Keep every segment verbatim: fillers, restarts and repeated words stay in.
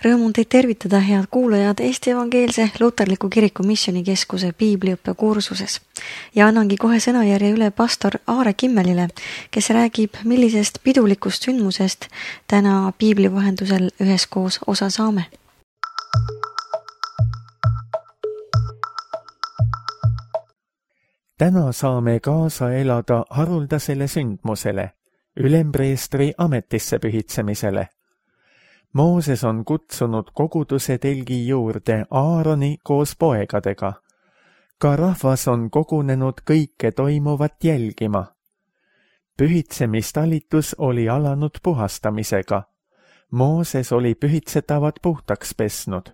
Rõõm on teid tervitada, head kuulajad, Eesti Evangeelse Luterliku Kiriku Missioonikeskuse piibliõppe kursuses. Ja annangi kohe sõnajärje üle pastor Aare Kimmelile, kes räägib, millisest pidulikust sündmusest täna piibli vahendusel üheskoos osa saame. Täna saame kaasa elada haruldasele sündmusele, ülempreestri ametisse pühitsemisele. Mooses on kutsunud koguduse telgi juurde Aaroni koos poegadega. Ka rahvas on kogunenud kõike toimuvat jälgima. Pühitsemistalitus oli alanud puhastamisega. Mooses oli pühitsetavad puhtaks pesnud.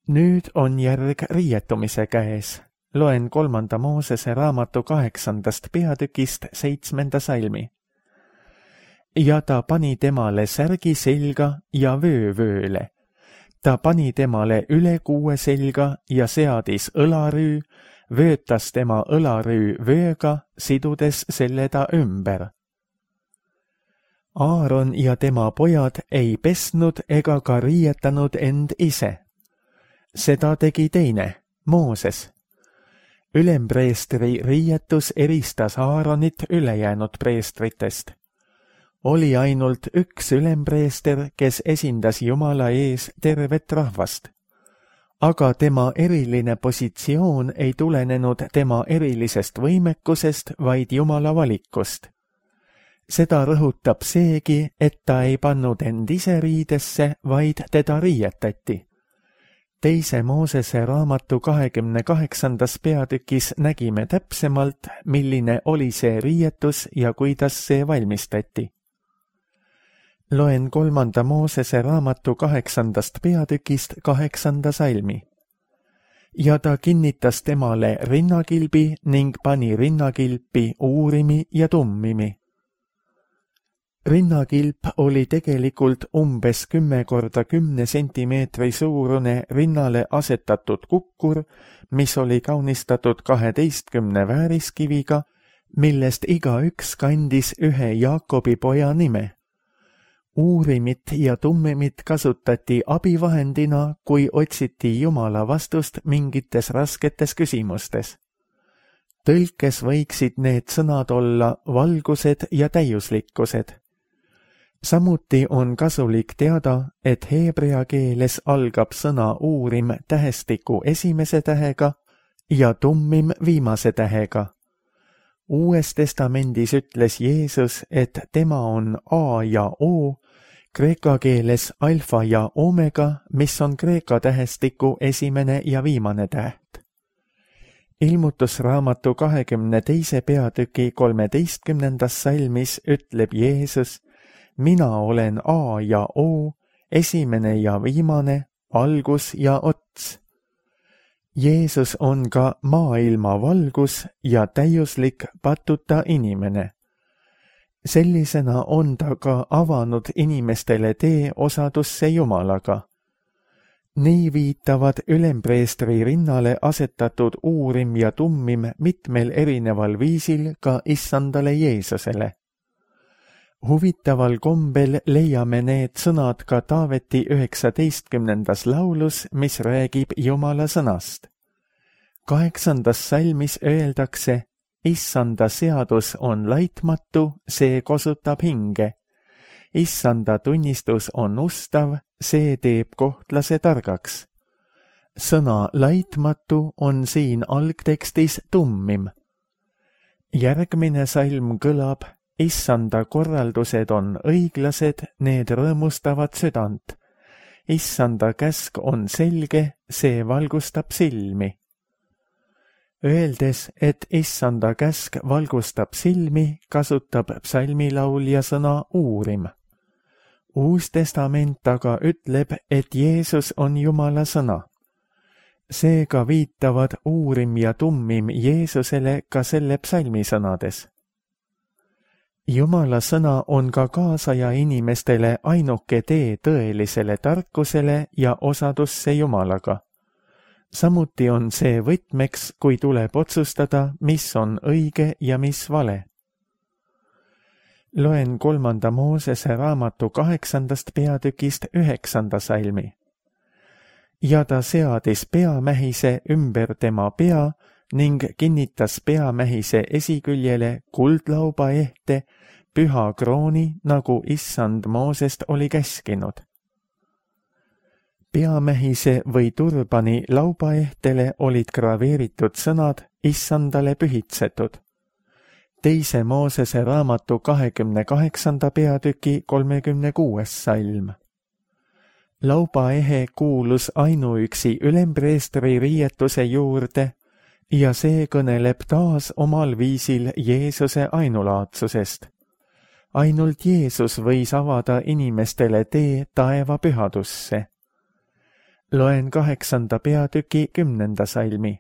Nüüd on järg riietumise käes. Loen kolmanda Moosese raamatu kaheksandast peatükist seitsmenda salmi. Ja ta pani temale särgi selga ja vöö vööle. Ta pani temale üle kuue selga ja seadis õlarüü, vöötas tema õlarüü vööga, sidudes selle ta ümber. Aaron ja tema pojad ei pesnud ega ka riietanud end ise. Seda tegi teine, Mooses. Ülempreestri riietus eristas Aaronit ülejäänud preestritest. Oli ainult üks ülempreester, kes esindas Jumala ees tervet rahvast. Aga tema eriline positsioon ei tulenenud tema erilisest võimekusest, vaid Jumala valikust. Seda rõhutab seegi, et ta ei pannud end ise riidesse, vaid teda riietati. Teise Moosese raamatu kahekümne kaheksandas peatükis nägime täpsemalt, milline oli see riietus ja kuidas see valmistati. Loen kolmanda Moosese raamatu kaheksandast peatükist kaheksanda salmi. Ja ta kinnitas temale rinnakilbi ning pani rinnakilpi uurimi ja tummimi. Rinnakilp oli tegelikult umbes kümme korda kümne sentimeetri suurune rinnale asetatud kukkur, mis oli kaunistatud kaheteistkümne vääriskiviga, millest igaüks kandis ühe Jaakobi poja nime. Uurimit ja tummimit kasutati abivahendina, kui otsiti Jumala vastust mingites rasketes küsimustes. Tõlkes võiksid need sõnad olla valgused ja täiuslikkused. Samuti on kasulik teada, et heebrea keeles algab sõna uurim tähestiku esimese tähega ja tummim viimase tähega. Uues testamendis ütles Jeesus, et tema on A ja O, kreeka keeles alfa ja omega, mis on kreeka tähestiku esimene ja viimane täht. Ilmutusraamatu kahekümne teise peatüki kolmeteistkümnendas salmis ütleb Jeesus, mina olen A ja O, esimene ja viimane, algus ja ots. Jeesus on ka maailma valgus ja täiuslik patuta inimene. Sellisena on ta ka avanud inimestele tee osadusse Jumalaga. Nii viitavad ülempreestri rinnale asetatud uurim ja tummim mitmel erineval viisil ka issandale Jeesusele. Huvitaval kombel leiame need sõnad ka Taaveti üheksateistkümnendas laulus, mis räägib Jumala sõnast. Kaheksandas salmis öeldakse, Issanda seadus on laitmatu, see kosutab hinge. Issanda tunnistus on ustav, see teeb kohtlase targaks. Sõna laitmatu on siin algtekstis tummim. Järgmine salm kõlab, Issanda korraldused on õiglased, need rõõmustavad südant. Issanda käsk on selge, see valgustab silmi. Öeldes, et issanda käsk valgustab silmi, kasutab psalmilaulja sõna uurim. Uus testament aga ütleb, et Jeesus on Jumala sõna. Seega viitavad uurim ja tummim Jeesusele ka selle psalmi sõnades. Jumala sõna on ka kaasaja inimestele ainuke tee tõelisele tarkusele ja osadusse Jumalaga. Samuti on see võtmeks, kui tuleb otsustada, mis on õige ja mis vale. Loen kolmanda Moosese raamatu kaheksandast peatükist üheksanda salmi. Ja ta seadis peamähise ümber tema pea ning kinnitas peamähise esiküljele kuldlauba ehte püha krooni, nagu issand Moosest oli käskinud. Peamähise või turbani laubaehtele olid graveeritud sõnad issandale pühitsetud. Teise Moosese raamatu kahekümne kaheksanda peatüki kolmekümne kuues salm. Laubaehe kuulus ainuüksi ülempreestri riietuse juurde ja see kõneleb taas omal viisil Jeesuse ainulaadsusest. Ainult Jeesus võis avada inimestele tee taeva pühadusse. Loen kaheksanda peatüki kümnenda salmi.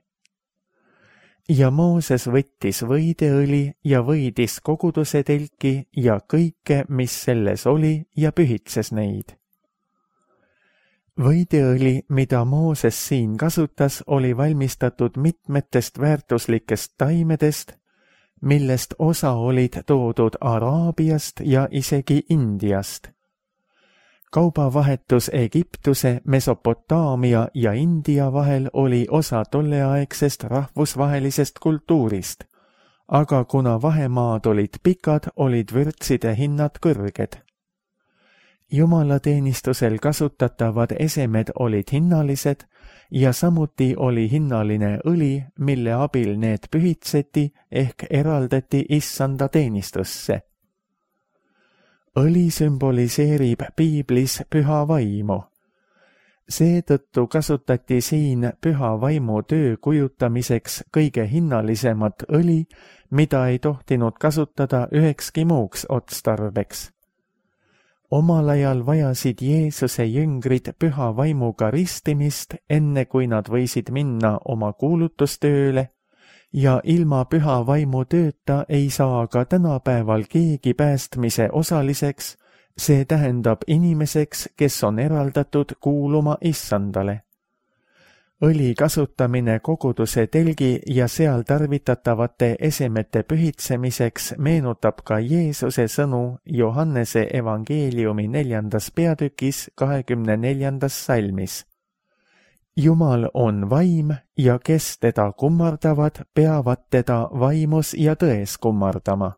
Ja Mooses võttis võideõli ja võidis koguduse telki ja kõike, mis selles oli, ja pühitses neid. Võideõli, mida Mooses siin kasutas, oli valmistatud mitmetest väärtuslikest taimedest, millest osa olid toodud Araabiast ja isegi Indiast. Kaubavahetus Egiptuse, Mesopotaamia ja India vahel oli osa tolleaegsest rahvusvahelisest kultuurist, aga kuna vahemaad olid pikad, olid vürtside hinnad kõrged. Jumalateenistusel kasutatavad esemed olid hinnalised ja samuti oli hinnaline õli, mille abil need pühitseti ehk eraldati issanda teenistusse. Õli sümboliseerib piiblis püha vaimu. Seetõttu kasutati siin püha vaimu töö kujutamiseks kõige hinnalisemat õli, mida ei tohtinud kasutada ühekski muuks otstarbeks. Omal ajal vajasid Jeesuse jüngrid püha vaimuga ristimist, enne kui nad võisid minna oma kuulutustööle, ja ilma püha vaimu tööta ei saa ka tänapäeval keegi päästmise osaliseks, see tähendab inimeseks, kes on eraldatud kuuluma issandale. Õli kasutamine koguduse telgi ja seal tarvitatavate esemete pühitsemiseks meenutab ka Jeesuse sõnu Johannese evangeeliumi neljandas peatükis kahekümne neljandas salmis. Jumal on vaim ja kes teda kummardavad, peavad teda vaimus ja tões kummardama.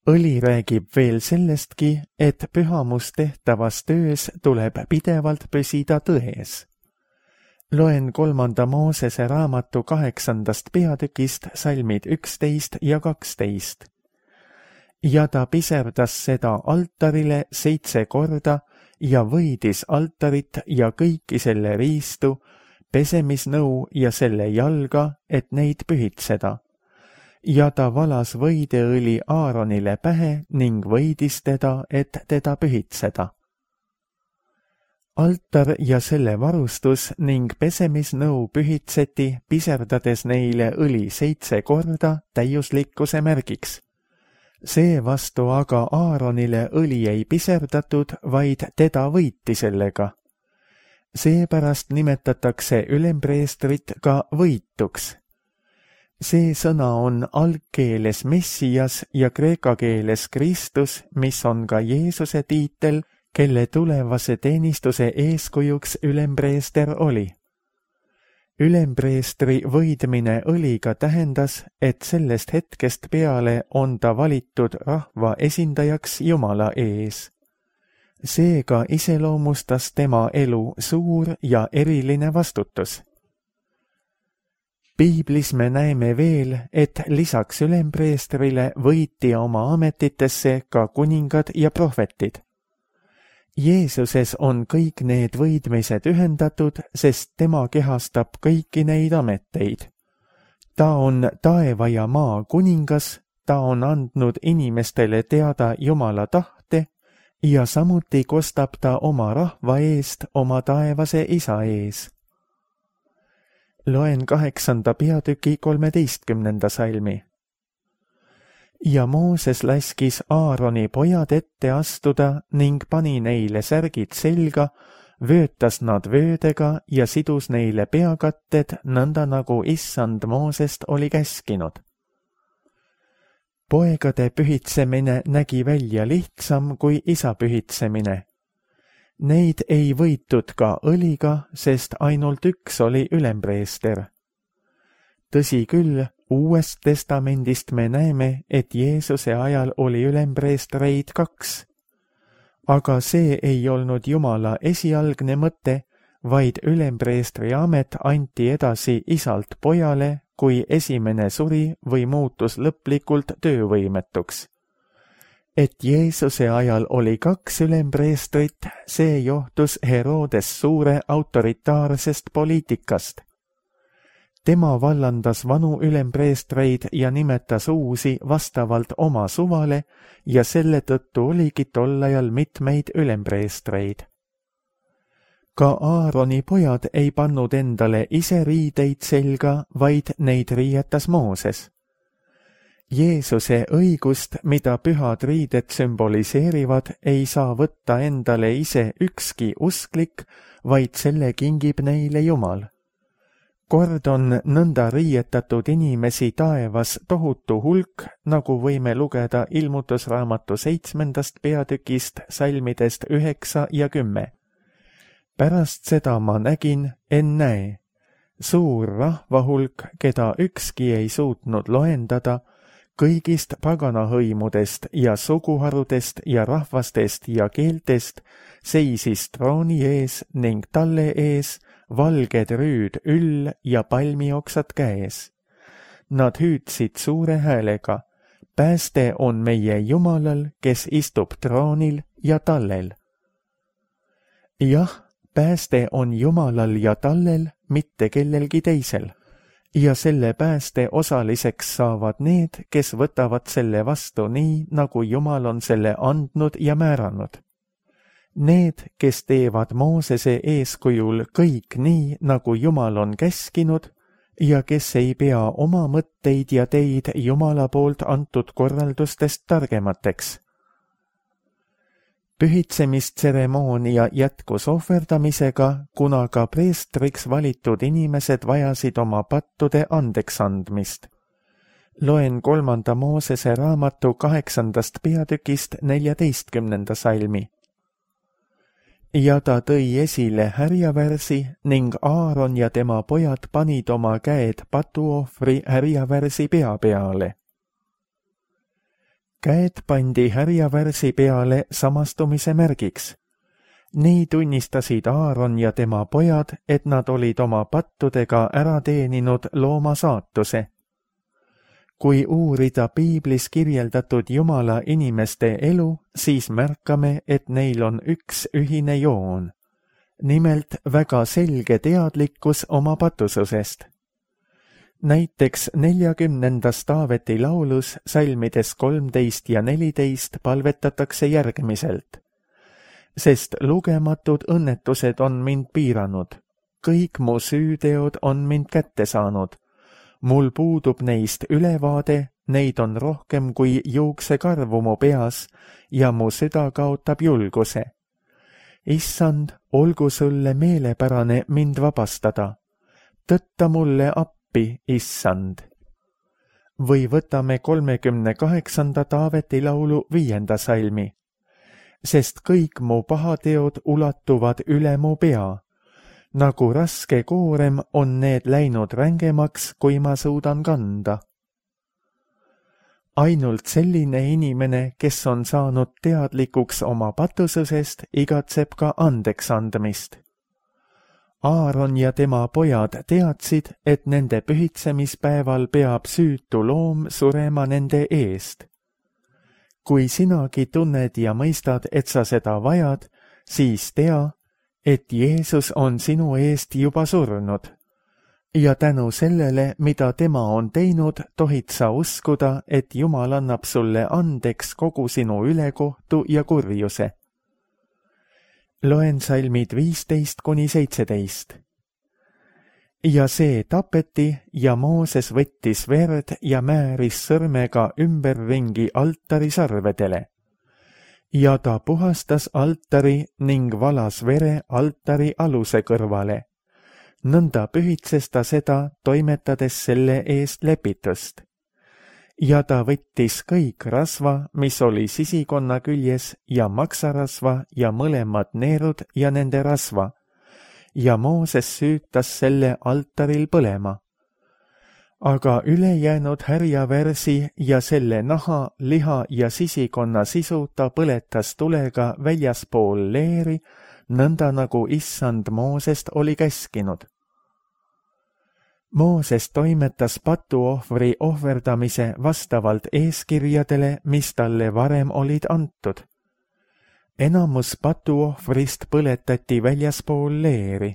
Õli räägib veel sellestki, et pühamus tehtavas töös tuleb pidevalt püsida tões. Loen kolmanda Moosese raamatu kaheksandast peatükist salmid üksteist ja kaksteist. Ja ta piserdas seda altarile seitse korda ja võidis altarit ja kõiki selle riistu, pesemisnõu ja selle jalga, et neid pühitseda. Ja ta valas võideõli Aaronile pähe ning võidis teda, et teda pühitseda. Altar ja selle varustus ning pesemisnõu pühitseti, piserdades neile õli seitse korda täiuslikkuse märgiks. Seevastu aga Aaronile õli ei piserdatud, vaid teda võiti sellega. Seepärast nimetatakse ülempreestrit ka võituks. See sõna on algkeeles Messias ja kreeka keeles Kristus, mis on ka Jeesuse tiitel, kelle tulevase teenistuse eeskujuks ülempreester oli. Ülempreestri võidmine õliga tähendas, et sellest hetkest peale on ta valitud rahva esindajaks Jumala ees. Seega iseloomustas tema elu suur ja eriline vastutus. Piiblis me näeme veel, et lisaks ülempreestrile võiti oma ametitesse ka kuningad ja prohvetid. Jeesuses on kõik need võidmised ühendatud, sest tema kehastab kõiki neid ameteid. Ta on taeva ja maa kuningas, ta on andnud inimestele teada Jumala tahte ja samuti kostab ta oma rahva eest oma taevase isa ees. Loen kaheksanda peatüki kolmeteistkümnenda salmi. Ja Mooses laskis Aaroni pojad ette astuda ning pani neile särgid selga, vöötas nad vöödega ja sidus neile peakatted, nõnda nagu issand Moosest oli käskinud. Poegade pühitsemine nägi välja lihtsam kui isa pühitsemine. Neid ei võitud ka õliga, sest ainult üks oli ülempreester. Tõsi küll, Uuest testamendist me näeme, et Jeesuse ajal oli ülempreestreid kaks. Aga see ei olnud Jumala esialgne mõte, vaid ülempreestri amet anti edasi isalt pojale, kui esimene suri või muutus lõplikult töövõimetuks. Et Jeesuse ajal oli kaks ülempreestrit, see johtus Herodes suure autoritaarsest poliitikast. Tema vallandas vanu ülempreestreid ja nimetas uusi vastavalt oma suvale ja selle tõttu oligi tol ajal mitmeid ülempreestreid. Ka Aaroni pojad ei pannud endale ise riideid selga, vaid neid riietas Mooses. Jeesuse õigust, mida pühad riided sümboliseerivad, ei saa võtta endale ise ükski usklik, vaid selle kingib neile Jumal. Kord on nõnda riietatud inimesi taevas tohutu hulk, nagu võime lugeda ilmutusraamatu seitsmendast peatükist salmidest üheksa ja kümme. Pärast seda ma nägin, ennäe, suur rahvahulk, keda ükski ei suutnud loendada, kõigist paganahõimudest ja suguharudest ja rahvastest ja keeltest seisis trooni ees ning talle ees valged rüüd üll ja palmioksad käes. Nad hüüdsid suure häälega, pääste on meie Jumalal, kes istub troonil ja tallel. Jah, pääste on Jumalal ja tallel, mitte kellelgi teisel. Ja selle pääste osaliseks saavad need, kes võtavad selle vastu nii, nagu Jumal on selle andnud ja määranud. Need, kes teevad Moosese eeskujul kõik nii, nagu Jumal on käskinud, ja kes ei pea oma mõtteid ja teid Jumala poolt antud korraldustest targemateks. Pühitsemistseremoonia jätkus ohverdamisega, kuna ka preestriks valitud inimesed vajasid oma pattude andeks andmist. Loen kolmanda Moosese raamatu kaheksandast peatükist neljateistkümnenda salmi. Ja ta tõi esile härjavärsi ning Aaron ja tema pojad panid oma käed patuohvri härjavärsi pea peale. Käed pandi härjavärsi peale samastumise märgiks. Nii tunnistasid Aaron ja tema pojad, et nad olid oma pattudega ära teeninud looma saatuse. Kui uurida piiblis kirjeldatud Jumala inimeste elu, siis märkame, et neil on üks ühine joon. Nimelt väga selge teadlikkus oma patususest. Näiteks neljakümnendas Taaveti laulus salmides kolmteist ja neliteist palvetatakse järgmiselt. Sest lugematud õnnetused on mind piiranud, kõik mu süüteod on mind kätte saanud. Mul puudub neist ülevaade, neid on rohkem kui juuksekarvu mu peas ja mu süda kaotab julguse. Issand, olgu sulle meelepärane mind vabastada. Tõtta mulle appi, issand. Või võtame kolmekümne kaheksanda Taaveti laulu viienda salmi. Sest kõik mu pahateod ulatuvad üle mu pea. Nagu raske koorem on need läinud rängemaks, kui ma suudan kanda. Ainult selline inimene, kes on saanud teadlikuks oma patususest, igatseb ka andeks andmist. Aaron ja tema pojad teadsid, et nende pühitsemispäeval peab süütu loom surema nende eest. Kui sinagi tunned ja mõistad, et sa seda vajad, siis tea, et Jeesus on sinu eest juba surnud. Ja tänu sellele, mida tema on teinud, tohid sa uskuda, et Jumal annab sulle andeks kogu sinu ülekohtu ja kurjuse. Loen salmid viisteist kuni seitseteist. Ja see tapeti ja Mooses võttis verd ja määris sõrmega ümberringi altari sarvedele. Ja ta puhastas altari ning valas vere altari aluse kõrvale. Nõnda pühitses ta seda, toimetades selle eest lepitust. ja ta võttis kõik rasva, mis oli sisikonna küljes ja maksarasva ja mõlemad neerud ja nende rasva, ja Mooses süütas selle altaril põlema. Aga ülejäänud härjavärsi ja selle naha, liha ja sisikonna sisu ta põletas tulega väljaspool leeri, nõnda nagu issand Moosest oli käskinud. Mooses toimetas patuohvri ohverdamise vastavalt eeskirjadele, mis talle varem olid antud. Enamus patuohvrist põletati väljaspool leeri.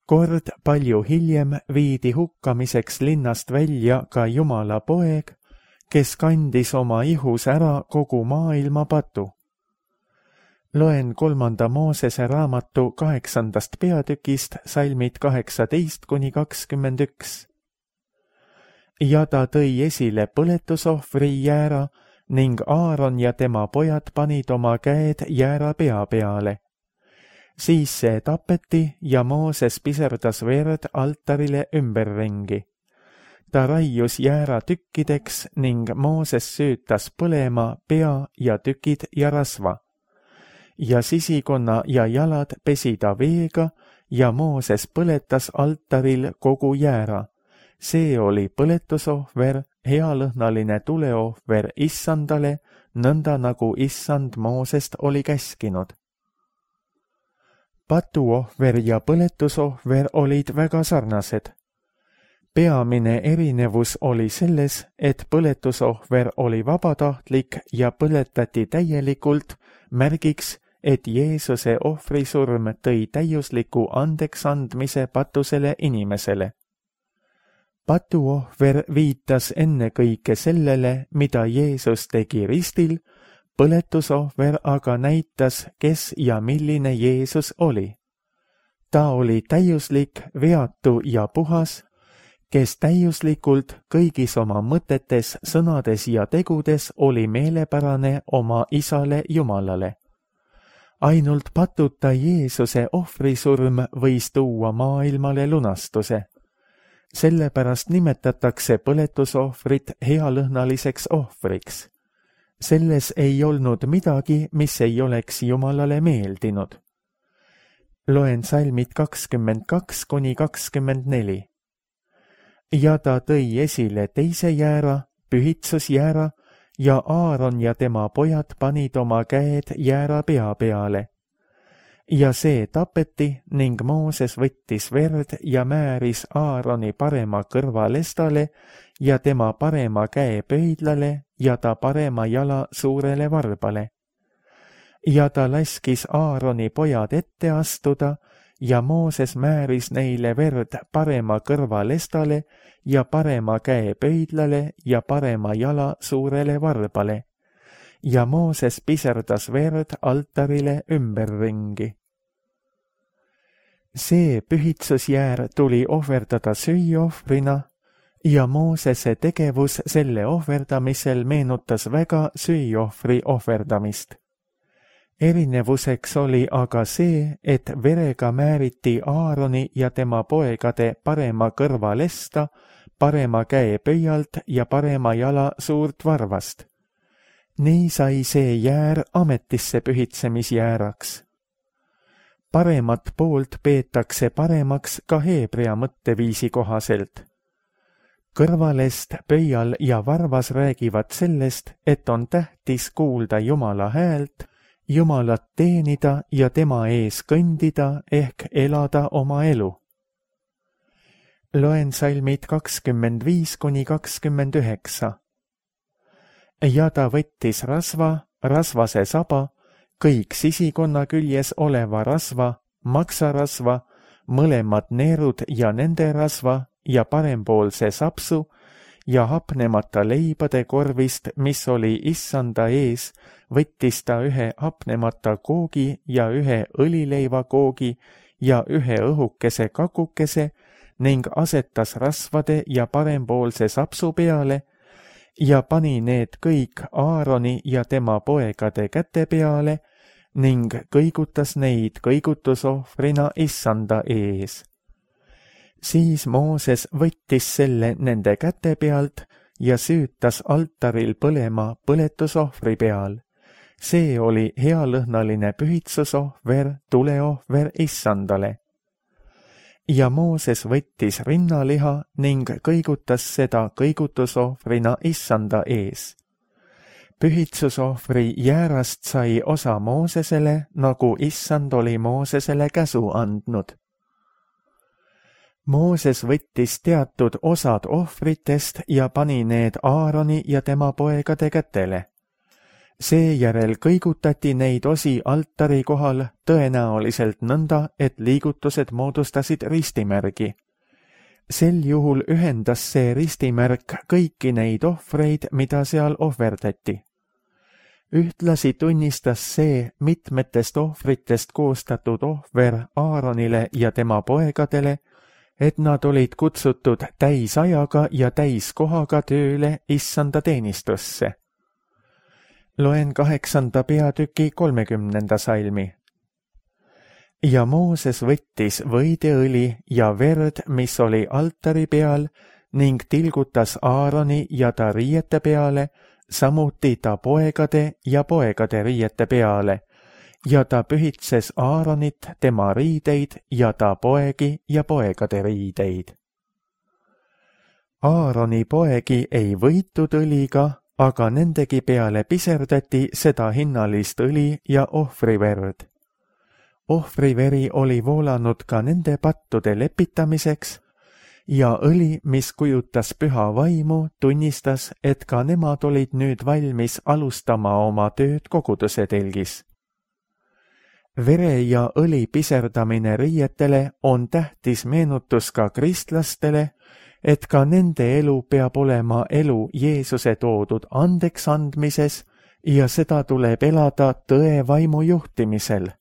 Kord palju hiljem viidi hukkamiseks linnast välja ka Jumala poeg, kes kandis oma ihus ära kogu maailma patu. Loen kolmanda Moosese raamatu kaheksandast peatükist salmid kaheksateist kuni kakskümmend üks. Ja ta tõi esile põletusohvri jäära ning Aaron ja tema pojad panid oma käed jäära pea peale. Siis see tapeti ja Mooses piserdas verd altarile ümberringi. Ta raius jäära tükkideks ning Mooses süütas põlema pea ja tükid ja rasva. Ja sisikonna ja jalad pesi ta veega ja Mooses põletas altaril kogu jäära. See oli põletusohver, healõhnaline tuleohver issandale, nõnda nagu issand Moosest oli käskinud. Patuohver ja põletusohver olid väga sarnased. Peamine erinevus oli selles, et põletusohver oli vabatahtlik ja põletati täielikult, märgiks, et Jeesuse ohvrisurm tõi täiusliku andeksandmise patusele inimesele. Patuohver viitas ennekõike sellele, mida Jeesus tegi ristil, põletusohver aga näitas, kes ja milline Jeesus oli. Ta oli täiuslik, veatu ja puhas, kes täiuslikult kõigis oma mõtetes, sõnades ja tegudes oli meelepärane oma isale Jumalale. Ainult patuta Jeesuse ohvrisurm võis tuua maailmale lunastuse. Sellepärast nimetatakse põletusohvrit healõhnaliseks ohvriks. Selles ei olnud midagi, mis ei oleks Jumalale meeldinud. Loen salmid kakskümmend kaks kuni kakskümmend neli. Ja ta tõi esile teise jäära, pühitsusjäära, ja Aaron ja tema pojad panid oma käed jäära pea peale. Ja see tapeti ning Mooses võttis verd ja määris Aaroni parema kõrvalestale ja tema parema käe pöidlale ja ta parema jala suurele varbale. Ja ta laskis Aaroni pojad ette astuda ja Mooses määris neile verd parema kõrvalestale ja parema käe pöidlale ja parema jala suurele varbale. Ja Mooses piserdas verd altarile ümberringi. See pühitsusjäär tuli ohverdada süüohvrina ja Moosese tegevus selle ohverdamisel meenutas väga süüohvri ohverdamist. Erinevuseks oli aga see, et verega määriti Aaroni ja tema poegade parema kõrvalesta, parema käe pöialt ja parema jala suurt varvast. Nii sai see jäär ametisse pühitsemisjääraks. Paremat poolt peetakse paremaks ka heebrea mõtteviisi kohaselt. Kõrvalest, pöial ja varvas räägivad sellest, et on tähtis kuulda Jumala häält, Jumalat teenida ja tema ees kõndida ehk elada oma elu. Loen salmid kakskümmend viis kuni kakskümmend üheksa. Ja ta võttis rasva, rasvase saba, kõik sisikonna küljes oleva rasva, maksarasva, mõlemad neerud ja nende rasva ja parempoolse sapsu ja hapnemata leibade korvist, mis oli issanda ees, võttis ta ühe hapnemata koogi ja ühe õlileiva koogi ja ühe õhukese kakukese ning asetas rasvade ja parempoolse sapsu peale ja pani need kõik Aaroni ja tema poegade käte peale ning kõigutas neid kõigutusohvrina issanda ees. Siis Mooses võttis selle nende käte pealt ja süütas altaril põlema põletusohvri peal. See oli healõhnaline pühitsusohver, tuleohver issandale. Ja Mooses võttis rinnaliha ning kõigutas seda kõigutusohvrina issanda ees. Pühitsusohvri jäärast sai osa Moosesele, nagu issand oli Moosesele käsu andnud. Mooses võttis teatud osad ohvritest ja pani need Aaroni ja tema poegade kätele. Seejärel kõigutati neid osi altari kohal tõenäoliselt nõnda, et liigutused moodustasid ristimärgi. Sel juhul ühendas see ristimärk kõiki neid ohvreid, mida seal ohverdati. Ühtlasi tunnistas see mitmetest ohvritest koostatud ohver Aaronile ja tema poegadele, et nad olid kutsutud täisajaga ja täiskohaga tööle issanda teenistusse. Loen kaheksanda peatüki kolmekümnenda salmi. Ja Mooses võttis võideõli ja verd, mis oli altari peal, ning tilgutas Aaroni ja ta riiete peale, samuti ta poegade ja poegade riiete peale, ja ta pühitses Aaronit, tema riideid ja ta poegi ja poegade riideid. Aaroni poegi ei võitud õliga, aga nendegi peale piserdati seda hinnalist õli ja ohvriverd. Ohvriveri oli voolanud ka nende pattude lepitamiseks ja õli, mis kujutas püha vaimu, tunnistas, et ka nemad olid nüüd valmis alustama oma tööd koguduse telgis. Vere ja õli piserdamine riietele on tähtis meenutus ka kristlastele, et ka nende elu peab olema elu Jeesuse toodud andeks andmises ja seda tuleb elada tõe vaimu juhtimisel.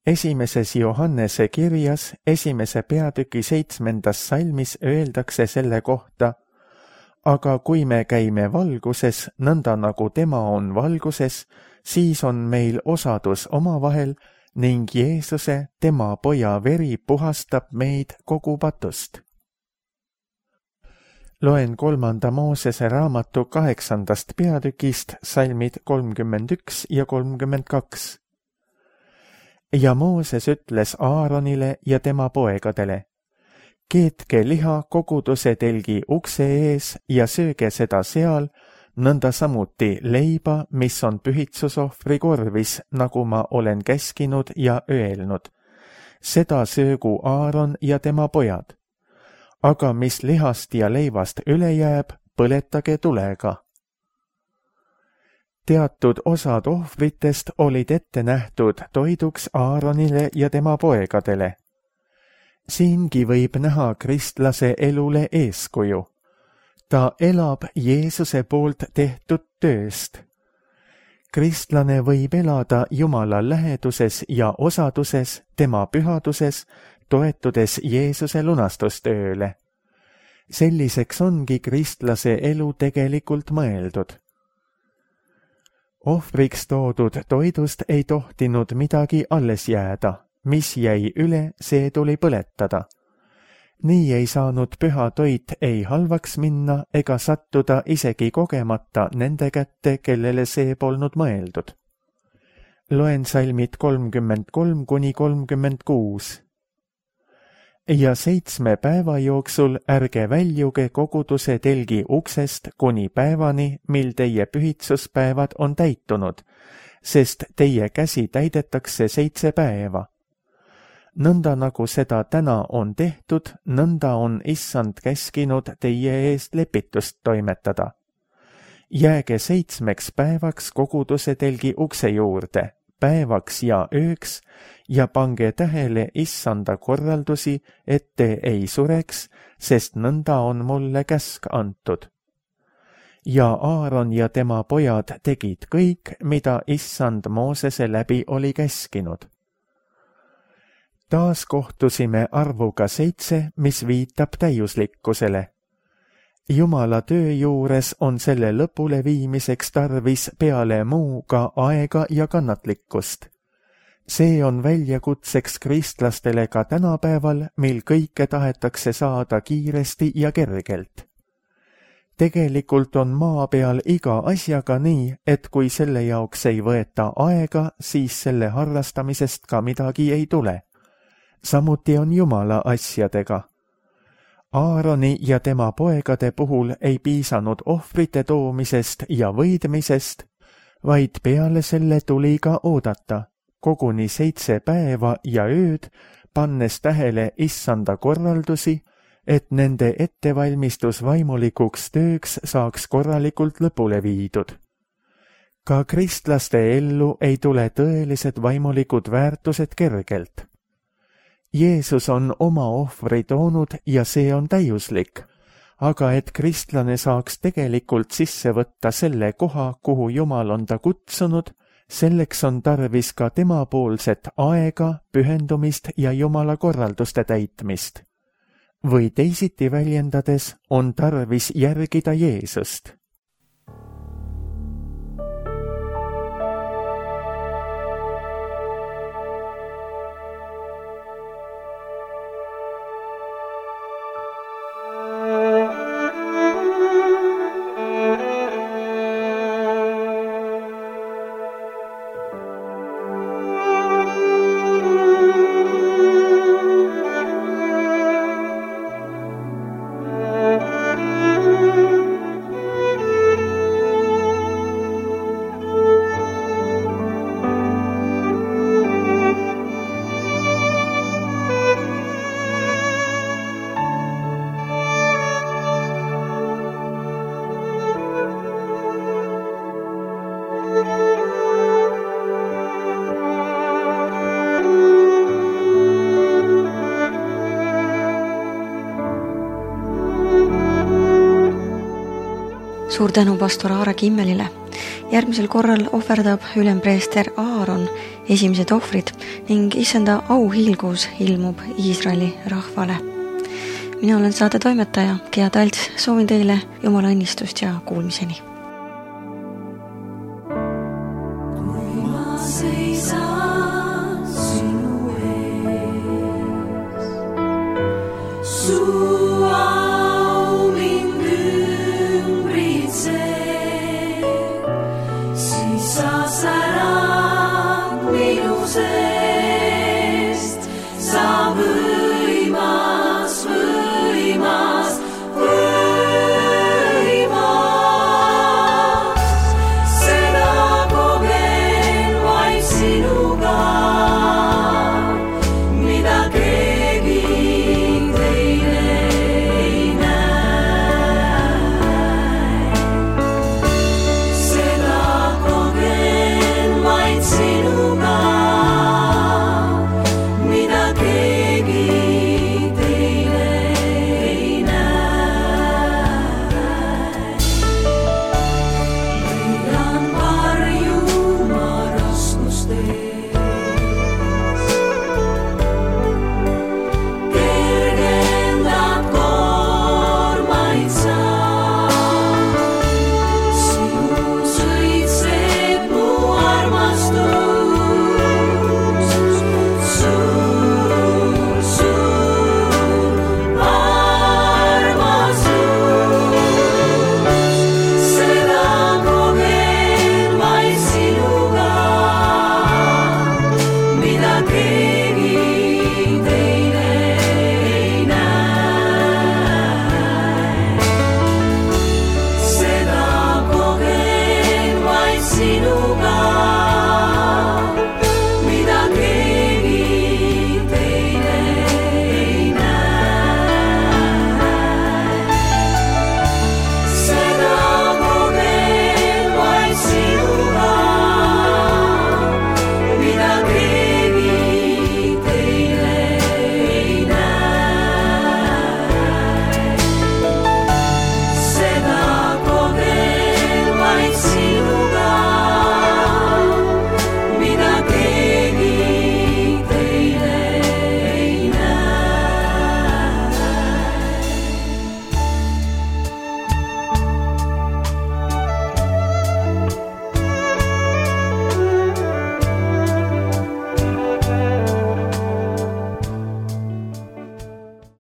Esimeses Johannese kirjas, esimese peatüki seitsmendas salmis öeldakse selle kohta, aga kui me käime valguses, nõnda nagu tema on valguses, siis on meil osadus omavahel ning Jeesuse, tema poja veri puhastab meid kogu patust. Loen kolmanda Moosese raamatu kaheksandast peatükist salmid kolmkümmend üks ja kolmkümmend kaks. Ja Mooses ütles Aaronile ja tema poegadele, keetke liha koguduse telgi ukse ees ja sööge seda seal, nõnda samuti leiba, mis on pühitsusohvri korvis, nagu ma olen käskinud ja öelnud. Seda söögu Aaron ja tema pojad. Aga mis lihast ja leivast üle jääb, põletage tulega. Teatud osad ohvritest olid ette nähtud toiduks Aaronile ja tema poegadele. Siingi võib näha kristlase elule eeskuju. Ta elab Jeesuse poolt tehtud tööst. Kristlane võib elada Jumala läheduses ja osaduses, tema pühaduses, toetudes Jeesuse lunastustööle. Selliseks ongi kristlase elu tegelikult mõeldud. Ohvriks toodud toidust ei tohtinud midagi alles jääda, mis jäi üle, see tuli põletada. Nii ei saanud püha toit ei halvaks minna ega sattuda isegi kogemata nende kätte, kellele see polnud mõeldud. Loen salmid kolmkümmend kolm kuni kolmkümmend kuus. Ja seitsme päeva jooksul ärge väljuge koguduse telgi uksest kuni päevani, mil teie pühitsuspäevad on täitunud, sest teie käsi täidetakse seitse päeva. Nõnda nagu seda täna on tehtud, nõnda on issand käskinud teie eest lepitust toimetada. Jääge seitsmeks päevaks koguduse telgi ukse juurde, päevaks ja ööks, ja pange tähele issanda korraldusi, et te ei sureks, sest nõnda on mulle käsk antud. Ja Aaron ja tema pojad tegid kõik, mida issand Moosese läbi oli käskinud. Taas kohtusime arvuga seitse, mis viitab täiuslikkusele. Jumala töö juures on selle lõpule viimiseks tarvis peale muu ka aega ja kannatlikkust. See on väljakutseks kristlastele ka tänapäeval, mil kõike tahetakse saada kiiresti ja kergelt. Tegelikult on maa peal iga asjaga nii, et kui selle jaoks ei võeta aega, siis selle harrastamisest ka midagi ei tule. Samuti on Jumala asjadega. Aaroni ja tema poegade puhul ei piisanud ohvrite toomisest ja võidmisest, vaid peale selle tuli ka oodata, koguni seitse päeva ja ööd, pannes tähele issanda korraldusi, et nende ettevalmistus vaimulikuks tööks saaks korralikult lõpule viidud. Ka kristlaste ellu ei tule tõelised vaimulikud väärtused kergelt. Jeesus on oma ohvri toonud ja see on täiuslik, aga et kristlane saaks tegelikult sisse võtta selle koha, kuhu Jumal on ta kutsunud, selleks on tarvis ka temapoolset aega, pühendumist ja Jumala korralduste täitmist. Või teisiti väljendades on tarvis järgida Jeesust. Suur tänu pastor Aare Kimmelile. Järgmisel korral ohverdab ülempreester Aaron esimesed ohvrid ning issanda auhiilgus ilmub Iisraeli rahvale. Mina olen saate toimetaja Gea Talts, soovin teile Jumala õnnistust ja kuulmiseni. Kui ma seisan sinu ees, suur